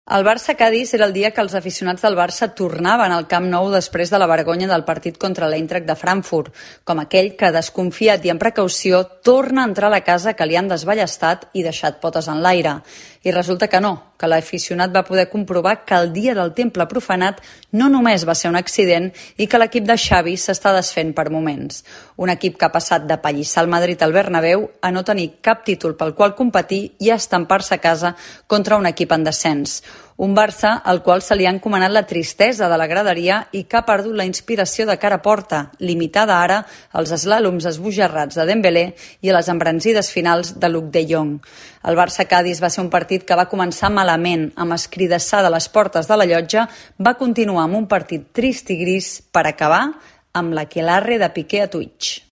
El Barça-Cadis era el dia que els aficionats del Barça tornaven al Camp Nou després de la vergonya del partit contra l'Eintracht de Frankfurt, com aquell que, desconfiat i amb precaució, torna a entrar a la casa que li han desballestat i deixat potes en l'aire. I resulta que no, que l'aficionat va poder comprovar que el dia del temple profanat no només va ser un accident i que l'equip de Xavi s'està desfent per moments. Un equip que ha passat de pallissar el Madrid al Bernabéu a no tenir cap títol pel qual competir i a estampar-se a casa contra un equip en descens. Un Barça al qual se li ha encomanat la tristesa de la graderia i que ha perdut la inspiració de cara a porta, limitada ara als eslàloms esbojarrats de Dembélé i a les embranzides finals de Luuk de Jong. El Barça-Cadis va ser un partit que va començar malament, amb escridassar de les portes de la llotja, va continuar amb un partit trist i gris per acabar amb l'aquelarre de Piqué a Twitch.